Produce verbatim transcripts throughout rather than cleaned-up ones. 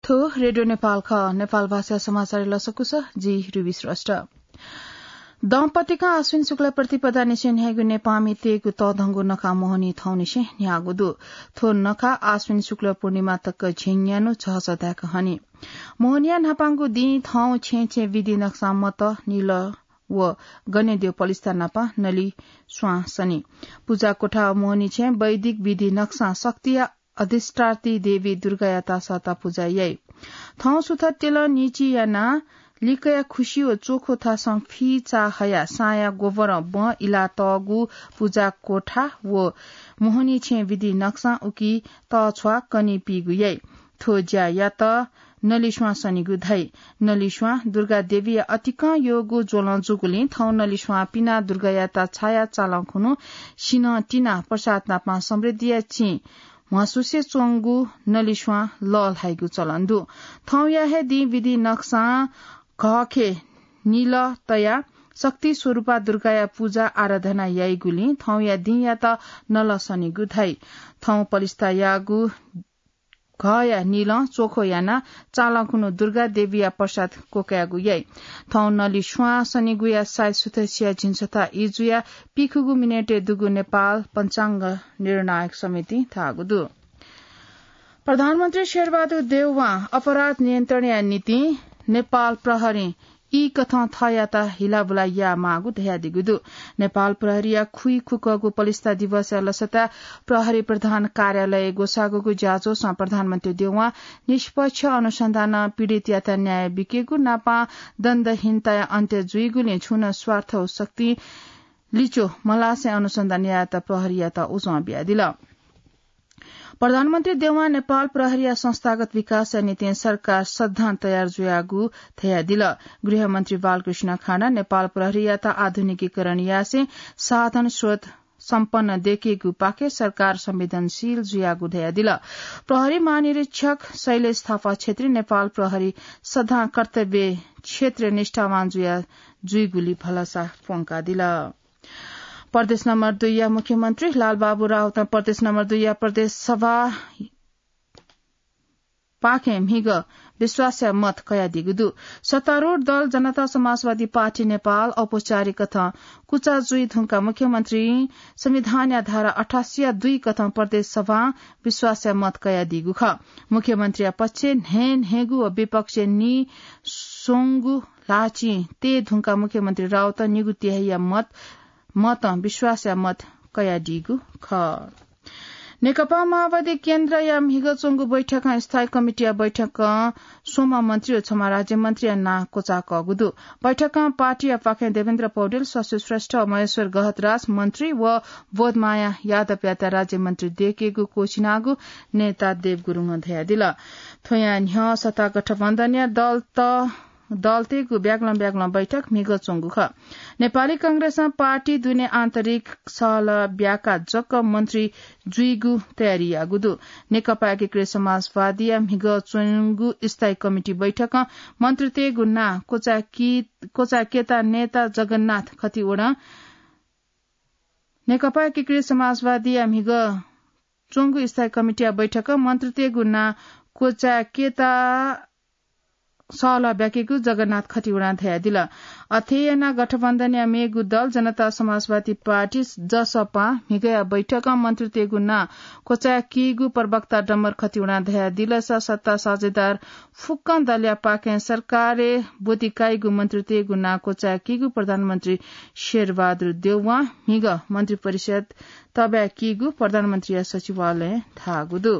थ्व रेडियो नेपाल खः। नेपाल भाषा समाचार लसकुस, जि रुबी श्रेष्ठ। दम्पतिका आश्विन शुक्ल प्रतिपदा निसें न्ह्याइगु नेपाःमि तयेगु तःधंगु नखा मोहनी थौंनिसें न्ह्याःगु दु। थ्व नखा आश्विन शुक्ल पूर्णिमा तक झिंन्यान्हु झःझः धाय्क हनी। मोहनिया न्हापांगु दिं थौं छेँय् छेँय् विधि नक्सां मत, निल व गनेद्यः पलिस्था नाप नलि स्वां सनी। पुजा कोठा व मोहनी छेँय् वैदिक विधि नक्सां शक्तिया अधिष्ठात्री देवी दुर्गायात सःता पुजा याइ। थौं सुथ तेलं निचि यानाः लिकया खुसि व चोखो थासं फिचा हयाः साँया गोबरं बँ इलातःगु पुजा कोठा व मोहनी छेँय् विधि नक्सां उकी तःछ्वाः कनी पीगु याइ। थ्व ज्यायात नलिस्वां सनीगु धाइ। नलिस्वां दुर्गा देवीया अतिकं यःगु ज्वलं जूगुलिं थौं नलिस्वां पिनाः दुर्गायात छाया चालं खुन्हु सिनं तिनाः प्रसाद नापं समृद्धिया चिं म्हसुसे च्वंगु नलिस्वां लःल्हाइगु चलन दु। थौंया हे दिं विधि नक्सां घःखे निल तयाः शक्ति स्वरूपा दुर्गाया पुजा आराधना याइगुलिं थौंया दिंयात नल सनीगु धाइ। थौं पलिस्था याःगु घःया निलं चोखो यानाः चालं खुन्हु दुर्गा देवीया प्रसाद क्वकायेगु याइ। थौं नलिस्वां सनीगुया साइत सुथसिया झिंछता इजुया पीखुगू मिनेटय् दुगु नेपाल पञ्चाङ्ग निर्णायक समितिं धाःगु दु। प्रधानमन्त्री शेरबहादुर देउवां अपराध नियन्त्रणया निंतिं नेपाल प्रहरीं ई कथं थःयात हिलाबुला यायेमाःगु धयादीगु दु। नेपाल प्रहरीया खुइखुकःगु पलिस्था दिवसया लसताय् प्रहरी प्रधान कार्यालयय् ग्वसाःगु ज्याझ्वलं प्रधानमन्त्री देउवां निष्पक्ष अनुसन्धानं पीडितयात न्याय बीकेगु नापं दण्डहीनताया अन्त्य जुइगुलिं छुं नं स्वार्थ व शक्ति लिच्वः मलासे अनुसन्धान यायेत प्रहरीयात उजं बियादिल। प्रधानमन्त्री देउवां नेपाल प्रहरीया संस्थागत विकासया निंतिं सरकार सदां तयार जुयागु धयादिल। गृहमन्त्री बालकृष्ण खाँडा नेपाल प्रहरीयात आधुनिकीकरण यासें साधन स्रोत सम्पन्न दयेकेगु पाखे सरकार संवेदनशील जुयागु धयादिल। प्रहरी महानिरीक्षक शैलेश थापा छेत्री नेपाल प्रहरी सदां कर्तव्य क्षेत्र निष्ठावान जुया जुइगुली भलसा प्वंकादिल। प्रदेश नम्बर दुईया मुख्यमन्त्री लालबाबु राउतं प्रदेश नम्बर दुईया प्रदेश सभा पाखें म्हिगः विश्वासया मत कयादीगु दु। सत्तारूढ दल जनता समाजवादी पार्टी नेपाल औपचारिक कथं कुचा जुइ धुंकाः मुख्यमन्त्रीं संविधानया धारा अठासी या दुई कथं प्रदेश सभां विश्वासया मत कयादीगु खः। मुख्यमन्त्रीया पक्षय् न्हय्न्हय्गु व विपक्षय् निस्वंगु ल्हाःचिं तये धुंकाः मुख्यमन्त्री राउतं निगू तिहाइया मत, मतं विश्वासया मत कयादीगु खः। नेकपा माओवादी केन्द्रया म्हिगः च्वंगु बैठकं स्थायी कमिटीया बैठकं स्वम्ह मन्त्री व छम्ह राज्यमन्त्रीया नां क्वचाःकःगु दु। बैठकं पार्टीया पाखें देवेन्द्र पौडेल, शशि श्रेष्ठ, महेश्वर गहतराज मन्त्री व बोधमाया यादवयात राज्यमन्त्री दयेकेगु क्वःछिनागु नेता देव गुरुङं धयादिल। थ्वया न्ह्यः सत्ता गठबन्धनया दलत दलतय्गु ब्यागलं ब्यागलं बैठक म्हिगः च्वंगु खः। नेपाली कांग्रेसं पार्टी दुने आन्तरिक सहलह ब्याकाः जक मन्त्री जुइगु तयारी याःगु दु। नेकपा एकीकृत समाजवादीया म्हिगः च्वंगु स्थायी कमिटी बैठकं मन्त्रीतय्गु नां क्वचाय्की, क्वचाय्केता नेता जगन्नाथ खतिवडां नेकपा एकीकृत समाजवादीया म्हिगः च्वंगु स्थायी कमिटीया बैठकं मन्त्रीतय्गु नां क्वचाय्केता सहलह ब्याकेगु जगन्नाथ खतिवडां धयादिल। अथे यानाः गठबन्धनया मेगु दल जनता समाजवादी पार्टी, जसपां म्हिगःया बैठकं मन्त्रीतय्गु नां क्वचाय्कीगु प्रवक्ता डम्बर खतिवडां धयादिल। स-, सत्ता साझेदार फुक्कं दलया पाखें सरकारय् ब्वति काइगु मन्त्रीतय्गु नां क्वचाय्कीगु प्रधानमन्त्री शेरबहादुर देउवां म्हिगः मन्त्रिपरिषद तःब्याकीगु प्रधानमन्त्रीया सचिवालयं धाःगु दु।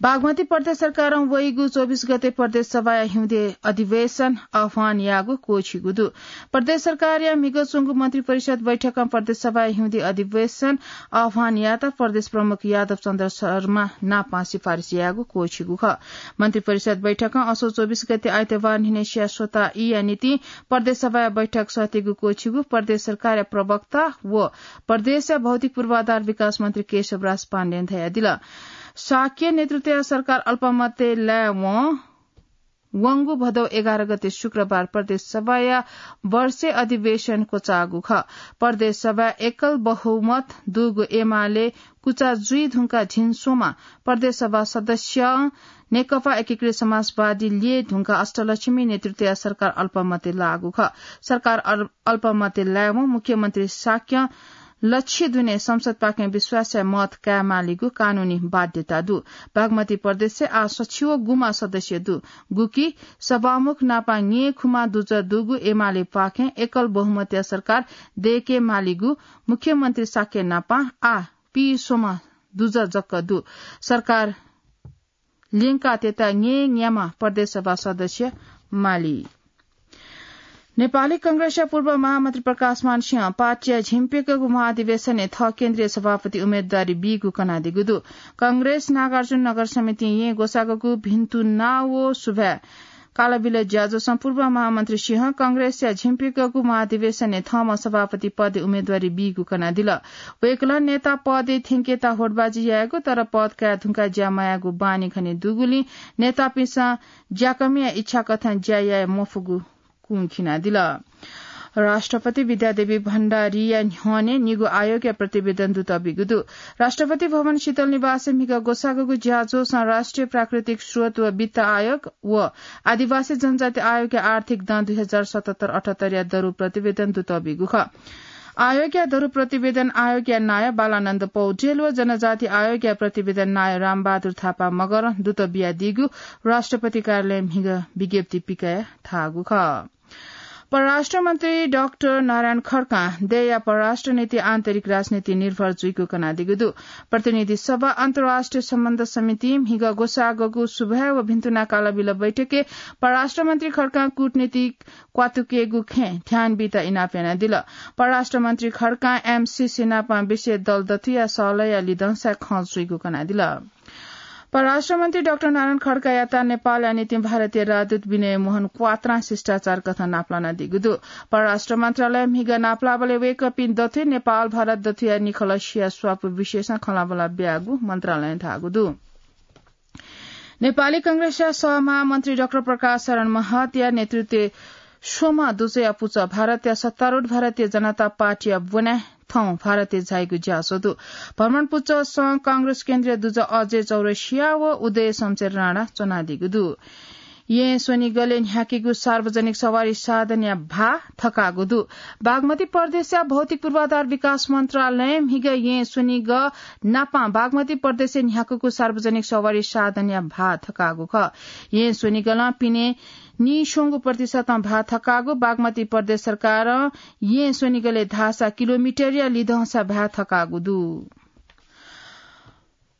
बागमती प्रदेश सरकारं वइगु चौबिस गते प्रदेश सभाया हिउँदे अधिवेशन आह्वान याःगु क्वःछिगु दु। प्रदेश सरकारया म्हिगः च्वंगु मन्त्रिपरिषद बैठकं प्रदेश सभाया हिउँदे अधिवेशन आह्वान यायेत प्रदेश प्रमुख यादव चन्द्र शर्मा नापं सिफारिस याःगु क्वःछिगु खः। मन्त्रिपरिषद बैठकं असो चौबिस गते आइतबार न्हिनय् स्वता ईया निंतिं प्रदेश सभाया बैठक सःतेगु क्वःछिगु प्रदेश सरकारया प्रवक्ता व प्रदेशया भौतिक पूर्वाधार विकास मन्त्री केशवराज पाण्डें धयादिल। शाक्य नेतृत्वया सरकार अल्पमतय् लायेवं वंगु भदौ एघार गते शुक्रबार प्रदेश सभाया वर्षे अधिवेशन क्वचाःगु खः। प्रदेश सभा एकल बहुमत दुगु एमाले कुचा जुइ धुंका झिंस्वमा प्रदेश सभा सदस्य नेकपा एकीकृत समाजवादी ल्यये धुंका अष्टलक्ष्मी नेतृत्वया सरकार अल्पमते लाःगु खः। सरकार अल-, अल्पमते लायेवं मुख्यमन्त्री शाक्यं लच्छि दुने संसदपाखें विश्वासया मत कायेमालीगु कानूनी बाध्यता दु। बागमती प्रदेशय् आः सछि व गुम्ह सदस्य दु, गुकी सभामुख नापं न्येखुम्ह दुजः दुगु एमालेपाखें एकल बहुमतया सरकार दयेकेमालीगु मुख्यमन्त्री शाक्य नापं आः पीस्वम्ह दुजः जक दु। सरकार ल्यंकातयेत न्येन्याम्ह प्रदेश सभा सदस्य माली। नेपाली कांग्रेसया पूर्व महामन्त्री प्रकाशमान सिंहं पार्टीया झिंप्यकःगु महाधिवेशनय् थः केन्द्रीय सभापति उम्मेदवारी बीगु कनादीगु दु। कांग्रेस नागार्जुन नगर समितिं येँ ग्वसाःगु भिन्तुना व सुभाय् कालाबिल ज्याझ्वलं पूर्व महामन्त्री सिंहं कांग्रेसया झिंप्यकःगु महाधिवेशनय् थःम्हं सभापति पदय् उम्मेदवारी बीगु कनादिल। वय्कलं नेता पदय् थ्यंकेत होडबाजी यायेगु, तर पद काये धुंकाः ज्या मयायेगु बानी खने दुगुलिं नेतापिन्सं ज्याकःमिया इच्छा कथं ज्या याये मफुगु कुंखिनादिल। राष्ट्रपति विद्यादेवी भण्डारीया न्ह्यःने निगू आयोगया प्रतिवेदन दुतःबिगु दु। राष्ट्रपति भवन शीतल निवासय् म्हिगः ग्वसाःगु ज्याझ्वलं राष्ट्रिय प्राकृतिक स्रोत व वित्त आयोग व आदिवासी जनजाति आयोगया आर्थिक दँ दुई हजार सतहत्तर अठहत्तरया दरु प्रतिवेदन दुतःबिगु खः। आयोगया दरु प्रतिवेदन आयोगया नायः बालानन्द पौडेल व जनजाति आयोगया प्रतिवेदन नायः रामबहादुर थापा मगरं दुत बियादीगु राष्ट्रपति कार्यालयं म्हिगः विज्ञप्ति पिकयाः धाःगु खः। परराष्ट्र मन्त्री डाक्टर नारायण खड्कां देय्‌या परराष्ट्र नीति आन्तरिक राजनीति निर्भर जुइगु कनादीगु दु। प्रतिनिधि सभा अन्तर्राष्ट्रिय सम्बन्ध समितिं म्हिगः ग्वसाःगु सुभाय् व भिन्तुना कालाबिल बैठकय् परराष्ट्र मन्त्री खड्कां कूटनीतिक क्वातुकेगु खँय् ध्यान बीत इनाप यानादिल। परराष्ट्र मन्त्री खड्कां एमसिसी नापं विषय दल दथुया सहलहया लिधंसाय् खँ जुइगु कनादिल। परराष्ट्र मन्त्री डाक्टर नारायण खड्कायात नेपालया निंतिं भारतीय राजदूत विनय मोहन क्वात्रां शिष्टाचार कथं नापलानादीगु दु। परराष्ट्र मन्त्रालयं म्हिगः नापलाःबलय् वय्कःपिं दथुइ नेपाल भारत दथुया निखलसिया स्वापू विषयसं खँल्हाबल्हा ब्याःगु मन्त्रालयं धाःगु दु। नेपाली कांग्रेसया सहमहामन्त्री डाक्टर प्रकाश शरण महतया नेतृत्वय् स्वम्ह दुजःया पुचः भारतया सत्तारूढ भारतीय जनता पार्टीया ब्वनाय् थौं भारतय् झाइगु ज्याझ्वः दु। भ्रमण पुचःसं कांग्रेस केन्द्रीय दुजः अजय चौरसिया व उदय शमशेर राणा च्वनादीगु दु। येँ स्वनिगलय् न्ह्याकीगु सार्वजनिक सवारी साधनया भाः थकाःगु दु। बागमती प्रदेशया भौतिक पूर्वाधार विकास मन्त्रालयं म्हिगः येँ स्वनिगः नापं बागमती प्रदेशय् न्ह्याकूगु सार्वजनिक सवारी साधनया भाः थकाःगु खः। येँ स्वनिगलं पिने नीस्वंगू प्रतिशतं भाः थकाःगु बागमती प्रदेश सरकारं येँ स्वनिगलय् धाःसा किलोमिटरया लिधंसा भाः थकाःगु दु।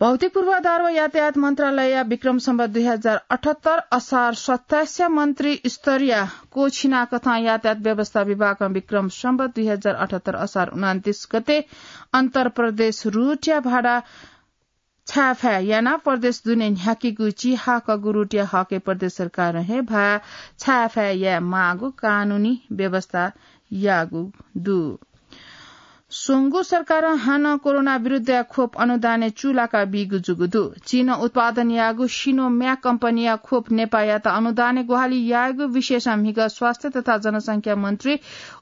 भौतिक पूर्वाधार व यातायात मन्त्रालयया विक्रम सम्वत दुई हजार अठहत्तर असार सत्ताइसया मन्त्री स्तरया क्वःछिना कथं यातायात व्यवस्था विभागं विक्रम सम्वत दुई हजार अठहत्तर असार उनन्तीस गते अन्तर प्रदेश रूटया भाडा छाय्‌फाय् यानाः प्रदेश दुने न्ह्याकीगु चिहाकःगु रूटया हकय् प्रदेश सरकारं हे भाः छाय्‌फाय् याये माःगु कानूनी व्यवस्था याःगु दु। स्वंगू सरकारं हानं कोरोना विरुद्धया खोप अनुदानय् चूलाका बीगु जूगु दु। चीनं उत्पादन याःगु Sinovac कम्पनीया खोप नेपाःयात अनुदानय् ग्वाहालि यायेगु विषयसं म्हिगः स्वास्थ्य तथा जनसंख्या मन्त्री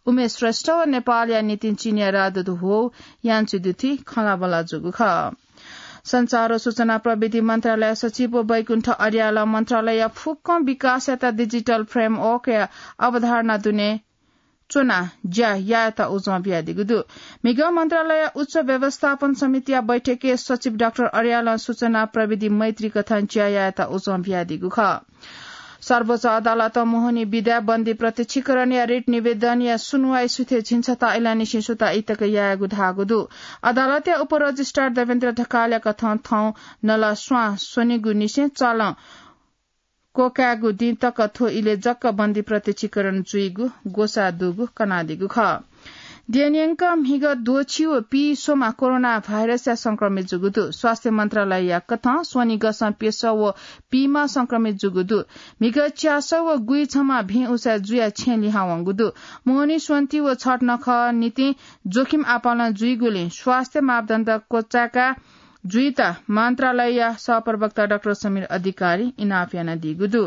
उमेश श्रेष्ठ व नेपालया निंतिं चीनया राजदूत Hou Yanqi दुथुइ खँल्हाबल्हा जूगु खः। सञ्चार व सूचना प्रविधि मन्त्रालय सचिव व वैकुण्ठ अर्यालं मन्त्रालयया फुक्कं विकासयात digital frameworkया अवधारणा दुने च्वनाः ज्या यायेत उजं बियादीगु दु। म्हिगः मन्त्रालय उच्च व्यवस्थापन समितिया बैठकय् सचिव डाक्टर अर्यालं सूचना प्रविधि मैत्री कथं ज्या यायेत उजं बियादीगु खः। सर्वोच्च अदालतं मोहनी विधाय् बन्दी प्रत्यक्षीकरणया रिट निवेदनया सुनुवाइ सुथय् झिंछता अय्‌लाःनिसें सुता इतक यायेगु धाःगु दु। अदालतया उपरजिस्ट्रार देवेन्द्र ढकालया कथं थौं नला स्वां स्वनिगुनिसें चालं क्वकायेगु दिं तक थ्व इलय् जक बन्दी प्रत्यक्षीकरण जुइगु ग्वसाः दुगु कनादीगु खः। द्यःन्यंक म्हिगः द्वःछि व पीस्वम्ह कोरोना भाइरसया संक्रमित जूगु दु। स्वास्थ्य मन्त्रालयया कथं स्वनिगःसं प्यसः व पीम्ह संक्रमित जूगु दु। म्हिगः च्यासः व गुइछम्ह भिं उसाँय् जुयाः छेँय् लिहां वंगु दु। मोहनी स्वन्ति व छठ नखः निंतिं जोखिम आपालं जुइगुलिं स्वास्थ्य मापदण्ड क्वचाय्‌का जुइत मन्त्रालयया सहप्रवक्ता डाक्टर समीर अधिकारीं इनाप यानादीगु दु।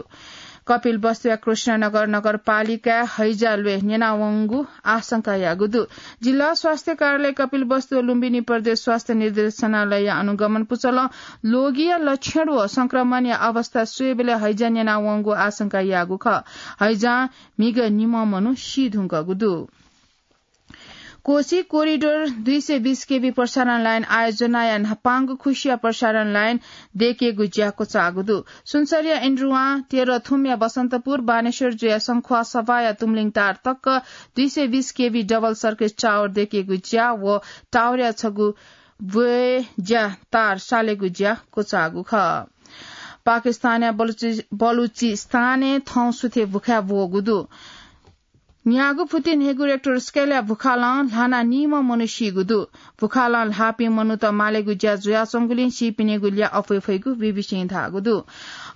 कपिलवस्तुया कृष्णनगर नगरपालिकाय् हैजा ल्वय् न्यनावंगु आशंका याःगु दु। जिल्ला स्वास्थ्य कार्यालय कपिलवस्तु व लुम्बिनी प्रदेश स्वास्थ्य निर्देशनालयया अनुगमन पुचलं लोगिया लक्षण व संक्रमणया अवस्था स्वयेबलय् हैजा न्यनावंगु आशंका याःगु खः। हैजां म्हिगः निम्ह मनू सी धुंकूगु दु। कोशी कोरिडोर दुई सय बीस केभी प्रसारण लाइन आयोजनाया न्हापांगु खुसिया प्रसारण लाइन दयेकेगु ज्या क्वचाःगु दु। सुनसरीया इन्द्रुवां तेह्रथुमया बसन्तपुर, बानेश्वर जुया शंखुवा सभाया तुमलिङ तार तक दुई सय बीस केभी डबल सर्किट टावर दयेकेगु ज्या व टावरया छगू ब्वय् ज्या तार सालेगु ज्या क्वचाःगु खः। पाकिस्तानया बलुचि-, बलुचिस्तानय् थौं सुथे भुखाय् ब्वःगु दु। न्यागू फुति न्हय्गू रेक्टर स्केलया भुखालं ल्हानाः निम्ह मनू सीगु दु। भुखालं ल्हाःपिं मनूत मालेगु ज्या जुयाच्वंगुलिं सीपिनिगु ल्याः अप्वय् फइगु बीबीसीं धाःगु दु।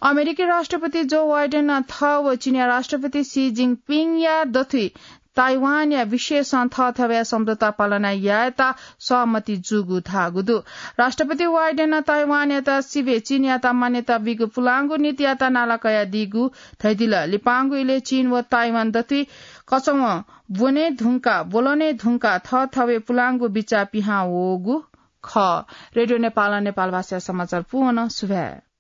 अमेरिकी राष्ट्रपति जो बाइडेनं थः व चीनया राष्ट्रपति सी जिनपिङया दथुइ ताइवानया विषयसं थःथवया सम्झौता पालना यायेत सहमति जूगु धाःगु दु। राष्ट्रपति बाइडेनं ताइवानयात सिबें चीनयात मान्यता बीगु पुलांगु नीतियात नाला कयादीगु धयादिल। लिपांगु इलय् चीन व ताइवान दथुइ कचवं ब्वने धुंकाः, ब्वलने धुंकाः थःथवय् पुलांगु बिचाः पिहां वःगु खः। रेडियो नेपालं नेपाल भाषाया समाचार पूवं सुभाय्।